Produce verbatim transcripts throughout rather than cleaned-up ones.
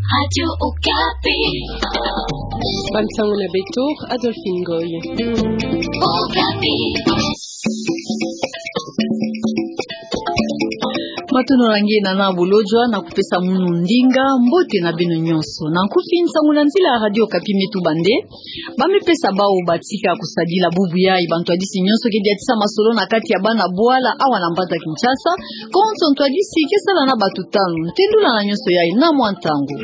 Radio Okapi. Bansango na beto, Adolphine Ngoy. Okapi. Matondo na nge na nani bolojwa na kupesa munu ndinga, mbote na beno nyonso. Na nkufi, nsangu na nzila ya Radio Okapi me tuba nde ba me pesa bau batika kusadila bubu yayi bantwadisi nyonso ke diatisa masolo na kati ya bana bwala awa na mbanza Kinshasa. Konso ntwadisi ke sala na bato tanu. Ntendula na nyonso yayi na mwa ntangu.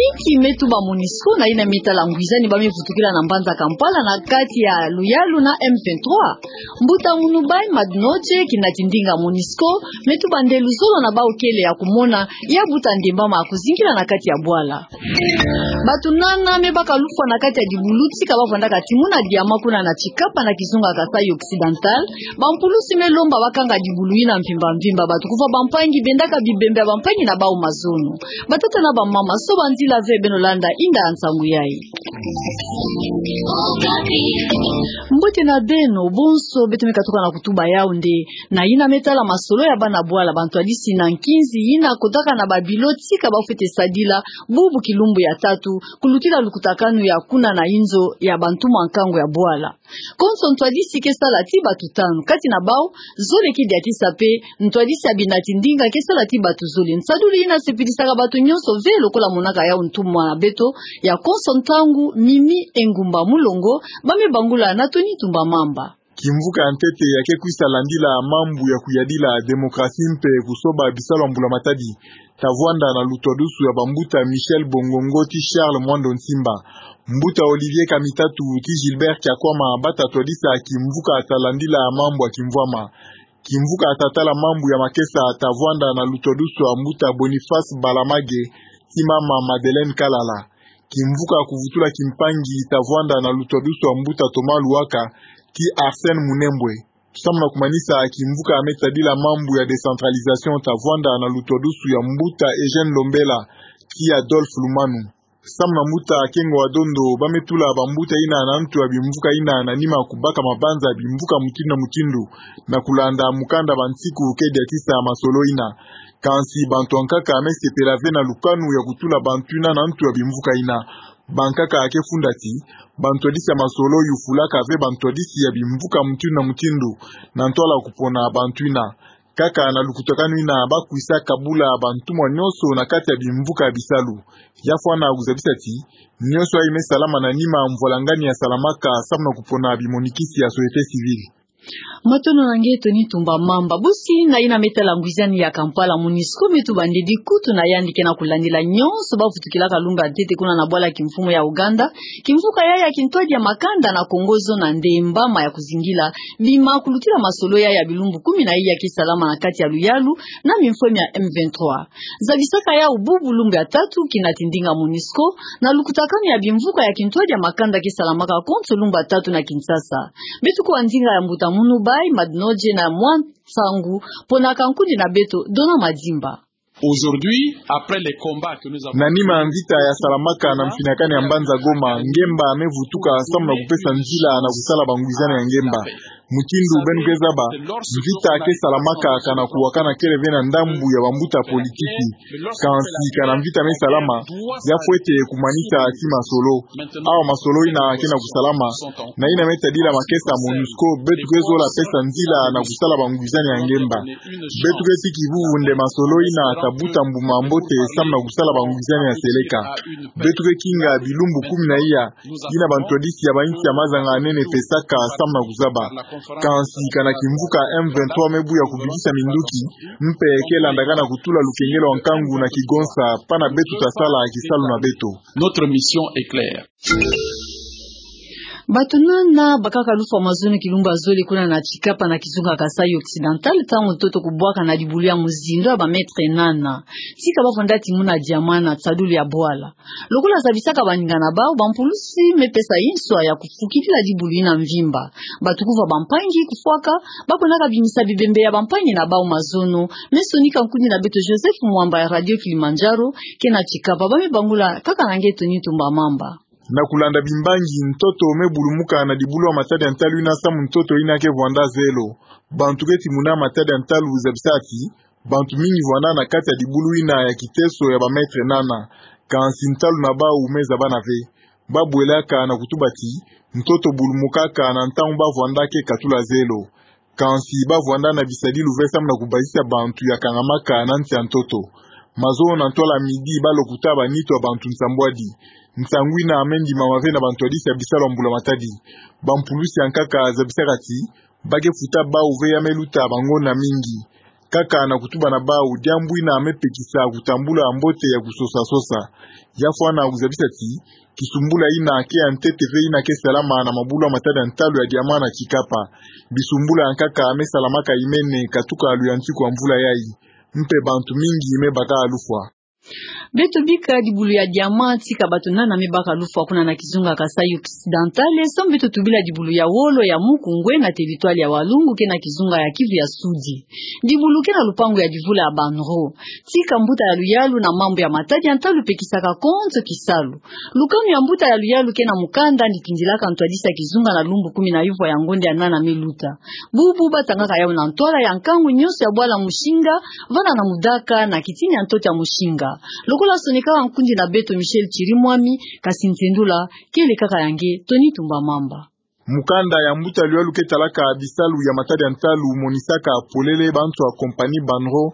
Inki me tuba MONUSCO na yina me tala ngwizani ba me vutukila na mbanza Kampala na kati ya luyalu na M vingt-trois? Mbuta Munubai Madnoje, kinati ndinga MONUSCO, me tuba nde luzolo na bau kele ya kumona ya buta ndembama ya kuzingila na kati ya bwala. Bato nana me baka lufwa na kati ya dibulu tika ba vandaka timuna diamant kuna na Tshikapa na kizunga Kasaï Occidental. Bampulusi me lomba ba kanga dibulu yina mvimba mvimba. Bato kuva bampangi bendaka bibembe ya bampangi na bau mazono. Batata na bamama, soba nzila ve beno landa inda ya nsangu yayi. Mbote na beno bonso, beto me katuka na kutuba yau nde na yina me tala masolo ya bana bwala, bantwadisi na nkinzi yina kotaka na babilo tika ba fwete sadila bubu kilumbu ya tatu, kulutila lukutakanu ya kuna na inzo ya bantumwa nkangu ya bwala. Konso ntwadisi ke sala ti bato tanu, kati na bau zole ke diatisa pe ntwadisi ya binati ndinga ke sala ti bato zole. Nsadulu yina sepilisaka bato nyonso ve lokola monaka yau ntumwa na beto ya konso ntangu, Mimi Engumba Mulongo, ba me bangula na Tony Tumba Mamba. Kimvuka ya ntete ya ke kwisa landila mambu ya kuyadila démocratie mpe kusoba bisalu ya mbula matadi, ta vwanda na lutwadusu ya bambuta Michel Bongongo ti Charles Mwando Nsimba, mbuta Olivier Kamitatu ti Gilbert Kiakwama, bata twadisa kimvuka ta landila mambu ya kimvwama. Kimvuka ta tala mambu ya makesa ta vwanda na lutwadusu ya mbuta Boniface Balamage ti mama Madeleine Kalala. Kimvuka kuvutula kimpangi ta vwanda na lutwadusu ya mbuta Thomas Luwaka ti Arsène Munembwe. Samu na kumanisa, kimvuka me tadila mambu ya décentralisation ta vwanda na lutwadusu ya mbuta Eugène Lombela ti Adolphe Lumanu. Samu na mbuta Kengo wa Dondo, ba me tula bambuta yina na ntu ya bimvuka yina na nima kubaka mabanza ya bimvuka mutindu na mutindu, na kulanda mukanda Bansiku ke diatisa masolo yina. Kansi bantu bankaka me sepela ve na lukanu ya kutula bantu yina na ntu ya bimvuka yina. Bankaka ke funda ti bantwadisi ya masolo yufulaka ve bantwadisi ya bimvuka mutindu na mutindu, na ntwala kupona bantu yina. Kaka na lukutakanu yina ba kwisa kabula bantumwa nyonso na kati ya bimvuka ya bisalu. Ya fwana kuzabisa ti nyonso yayi me salama na nima mvwalangani ya salamaka samu na kupona bimonikisi ya société civile. Matondo na nge Tony Tumba Mamba. Bosi na yina me tala ngwizani ya Kampala, MONUSCO me tuba nde dikutu na yandi ke na kulandila nyonso ba vutukilaka lumbu ya ntete kuna na bwala kimfumu ya Ouganda. Kimvuka yayi ya kintwadi ya makanda na Kongo zona ndembama ya kuzingila bima kulutila masolo yayi ya bilumbu kumi na iya ke salama na kati ya luyalu na mimfwemi ya M vingt-trois. Zabisaka yau bubu lumbu ya tatu kinati ndinga MONUSCO na lukutakanu ya bimvuka ya kintwadi ya makanda ke salamaka konso lumbu ya tatu na Kinshasa. Beto kuwa ndinga ya mbuta Munubai Madnoje na mwa nsangu pona ka nkundi na beto Dona Madimba. Aujourd'hui, après les combats que nous avons... Na nima ya mvita ya salamaka na mfinakani ya mbanza Goma, ngemba me vutuka samu na kupesa nzila na kusala bangwizani ya ngemba. Mutindu beno ke zaba, mvita ke salamaka kana kuwakana kele ve na ndambu ya bambuta politiki. Kansi kana mvita me salama, ya fwete kumanisa ti masolo. Awa masolo yina ke na kusalama, na yina me tadila makesa MONUSCO, beto ke zola pesa nzila na kusala bangwizani ya ngemba. Beto ke tiki bubu nde masolo yina ta buta mbuma mbote samu na kusala bangwizani ya seleka. Beto ke kinga bilumbu kumi na iya, yina bantwadisi ya bainsi ya mazanga-nene pesaka samu na kuzaba. Kansi kana kimvuka M vingt-trois me buya kubikisa minduki, mpe ke landaka na kutula lukengelo ya nkangu na kigonsa, pana beto ta sala kisalu na beto. Notre mission est claire. Bato nana bakaka lufwa mazono kilumbu ya zole kuna na Tshikapa na kizunga Kasaï Occidental, ntangu ntoto kubwaka na dibulu ya muzindo ya ba mètre nana. Tika ba vanda timuna diamant na tsadulu ya bwala. Lokola zabisaka baninga na bau, bampulusi me pesa inswa ya kufukidila dibulu yina mvimba. Bato kuva bampangi kufwaka, ba kwendaka bimisa bibembe ya bampangi na bau mazono. Me sonika nkundi na beto Joseph Mwamba ya Radio Kilimanjaro, ke na Tshikapa, ba me bangula kaka na nge Tony Tumba Mamba. Na kulanda bimbangi, ntoto me bulumuka na dibulu ya matadi ya ntalu yina samu ntoto yina ke vwanda zelo. Bantu ke timuna matadi ya ntalu zabisa ti bantu mingi vwanda na kati ya dibulu yina ya kiteso ya ba mètre nana. Kansi ntalu na bawu me zabana ve. Ba bwelaka na kutuba ti ntoto bulumukaka na ntangu ba vwandaka katula zelo. Kansi ba vwanda na bisadilu ve samu na kubazisa bantu ya kangamaka na nsi ya ntoto. Mazono na ntwala midi ba lokuta ba nitu ya bantu nsambwadi. Nsangu ina me ndimama ve na bantwadisi ya bisalu ya mbula matadi. Bampulusi ya nkaka zabisaka ti ba ke futa bawu ve ya me luta bangonda mingi. Kaka na kutuba na bawu, diambu ina me pekisa kutambula mbote ya kusosa-sosa. Ya fwana kuzabisa ti kisumbula ina ke ya ntete ve ina ke salama na mabulu ya matadi ya ntalu ya diamant na tikapa. Bisumbula ya nkaka me salamaka imene katuka luyantiku ya mvula yayi. Mpe bantu mingi me baka lufwa. Beto bika dibulu ya diamant tika bato nana me baka lufwa kuna na kizunga Kasaï Occidental, samu beto tubila dibulu ya wolo ya Mukungwe na territoire ya Walungu ke na kizunga ya Kivu ya Sudi. Dibulu ke na lupangu ya divula ya BANRO. Tika mbuta ya luyalu na mambu ya matadi ya ntalu pekisaka konso kisalu. Lukanu ya mbuta ya luyalu ke na mukanda ni tindilaka ntwadisi ya kizunga na lumbu kumi na yuvwa ya ngonda ya nana me luta. Bubu ba tangaka yawu na ntwala ya nkangu nyonso ya bwala Musinga, vana na mudaka na kitini ya ntoto ya Musinga. Lokola sonekaka nkundi na beto Michel Chirimwami, kasi nsendula kele kaka ya nge Tony Tumbamamba. Mukanda ya mbuta luyalu ke talaka bisalu ya matadi ya ntalu monisaka polele bantu ya compagnie BANRO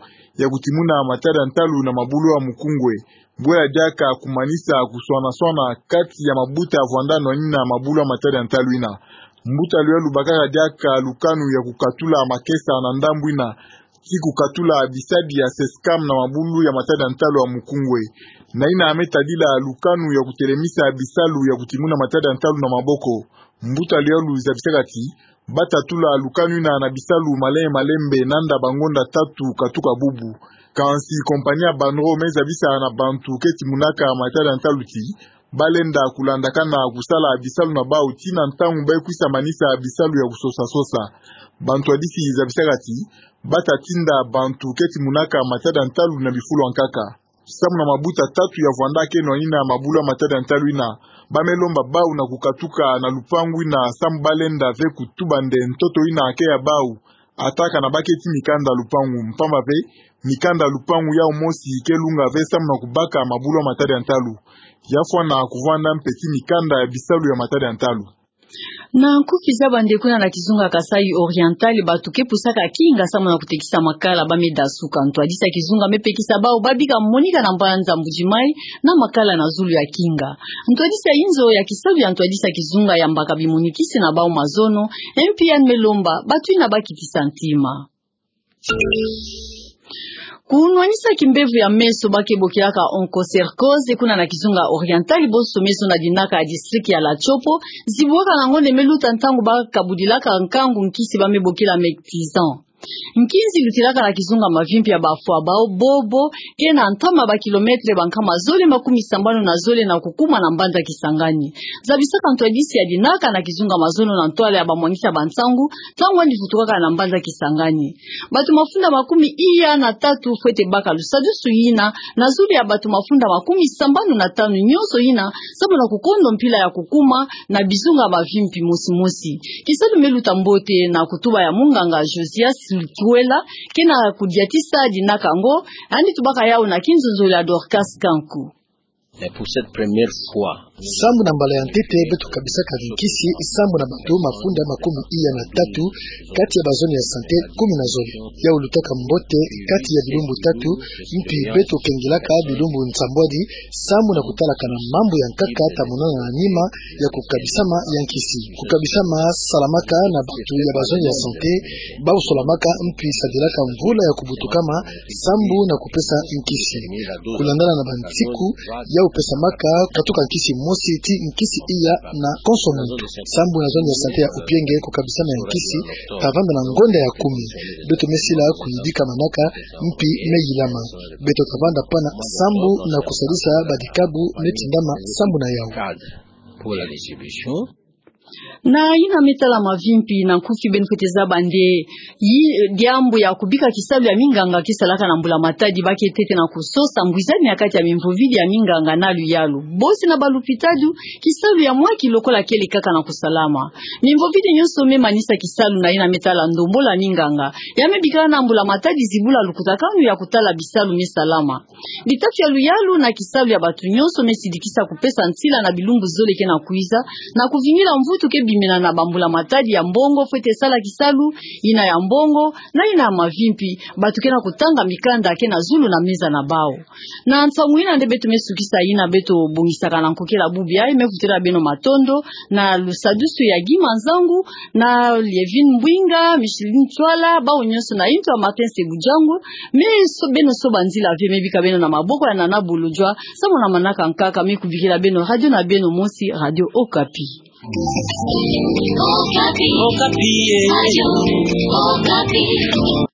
ya kutimuna matadi ya ntalu na mabulu ya Mukungwe. Bwela diaka kumanisa kuswana-swana kati ya mabuta ya vwanda nwanina mabulu ya matadi ya ntalu ina. Mbuta luyalu bakaka diaka lukanu ya kukatula makesa na ndambu ina, ti kukatula bisadi ya SESCAM na mabulu ya matadi ya ntalu ya Mukungwe. Na ina me tadila lukanu ya kutelemisa bisalu ya kutimuna matadi ya ntalu na maboko. Mbuta luyalu zabisaka ti ba tatula lukanu ina na bisalu malembe-malembe nanda bangonda tatu katuka bubu. Kansi compagnie ya BANRO me zabisa na bantu ke timunaka matadi ya ntalu ti ba lenda kulandakana kusala bisalu na bawu tii na ntangu ba kwisa manisa bisalu ya kusosa-sosa. Bantwadisi zabisaka ti ba tatinda bantu ke timunaka matadi ya ntalu na bifulu ya nkaka. Samu na mabuta tatu ya vwanda ke nwanina mabulu ya matadi ya ntalu ina, ba me lomba bawu na kukatuka na lupangu ina samu ba lenda ve kutuba nde ntoto ina ke ya bawu, ata kana ba keti mikanda lupangu, mpamba ve mikanda lupangu yawu mosi ke lunga ve samu na kubaka mabulu ya matadi ya ntalu. Ya fwana kuvwanda mpe tii mikanda ya bisalu ya matadi ya ntalu. Na nkufi za bande kuna na kizunga Kasaï Oriental, bato ke pusaka kinga samu na kutekisa makala ba me dasuka. Ntwadisi ya kizunga me pekisa bawu ba bika monika na mbanza Mbuji-Mayi na makala na zulu ya kinga. Ntwadisi ya inzo ya kisalu ya ntwadisi ya kizunga yambaka bimonikisi na bawu mazono, M P N me lomba bato ina ba kitisa ntima. Kunwanisa kimbevo ya meso ba ke bokilaka onchocercose kuna na kizunga Oriental, bonso me zonza dinaka ya district ya la Tshopo, zibuaka na ngonda me luta ntangu ba kabudilaka nkangu nkisi ba me bokila Mectizan. Nkinzi lutilaka na kizunga mavimpi ya bafwa bao bobo, ke na ntama ba kilometre ba nkama zole makumi sambanu na zole na kukuma na mbanza Kisangani. Zabisaka ntwadisi ya dinaka na kizunga mazono na ntwala ya bamwanisi ya bansangu, ntangu yandi vutukaka na mbanza Kisangani. Bato mafunda makumi iya na tatu fwete baka lusadusu yina, na zulu ya bato mafunda makumi sambanu na tanu nyonso yina, samu na kukondo mpila ya kukuma na bizunga bavimpi mosi mosi. Kisalu me luta mbote na kutuba ya munganga Josias Lutwela, ke na kudiatisa dinaka yango, yandi tubaka yawu na kinzonzolo ya Dorcas Kanku. Et pour cette première fois, sambu na mbala ya ntete beto kabisaka nkisi sambu na bato mafunda makumi iya na tatu kati ya bazone ya sante kumi na zole. Yawu lutaka mbote kati ya bilumbu tatu, mpi beto kengelaka bilumbu nsambwadi sambu na kutalakana mambu ya nkaka ta monana na nima ya kukabisama ya nkisi. Kukabisama salamaka na bato ya bazone ya sante, bawu solamaka mpi sadilaka mvula ya kubutukama sambu na kupesa nkisi. Kulandana na bansiku, yawu pesamaka katuka nkisi mosi tii nkisi iya na konso muntu. Sambu na zone ya sante ya Opienge kukabisama ya nkisi ta vanda na ngonda ya kumi. Beto me sila kuyidika manaka, mpi me yilama. Beto ta vanda pana sambu na kusalisa badikabu me tindama sambu na yawu. Pour la distribution. Na yina me tala mavimpi, na nkufi beno fwete zaba nde, yi, diambu ya kubika kisalu ya minganga ke salaka na mbula matadi, ba ke tete na kusosa ngwizani ya kati ya mimvovidi ya minganga na luyalu. Bosi na balupitalu, kisalu ya mwa ki lokola kele kaka na kusalama. Mimvovidi nyonso me manisa kisalu na yina me tala ndombolo ya minganga, ya me bikana na mbula matadi zibula lukutakanu ya kutala bisalu me salama. Bitatu ya luyalu na kisalu ya bato nyonso me sidikisa kupesa ntila na bilumbu zole ke na kwiza, na kuvingila mvutu ke bimina na bambula matadi ya mbongo fwete sala kisalu, yina ya mbongo, na yina ya mavimpi, bato ke na kutanga mikanda ke na zulu na meza na bawu. Na nsangu yina nde beto me sukisa yina beto bongisaka na nkokela bubu yayi, me kutela beno matondo, na lusadusu ya Guy Manzangu, na Lievine Mbwinga, Micheline Ntwala, bawu nyonso na intu ya Martin Sebudjango, me so-, beno soba nzila ve, me bika beno na maboko ya Nana Bolodjwa, samu na manaka nkaka, me kubikila beno radio na beno mosi, Radio Okapi. Okapi. Okapi, eh. Radio Okapi.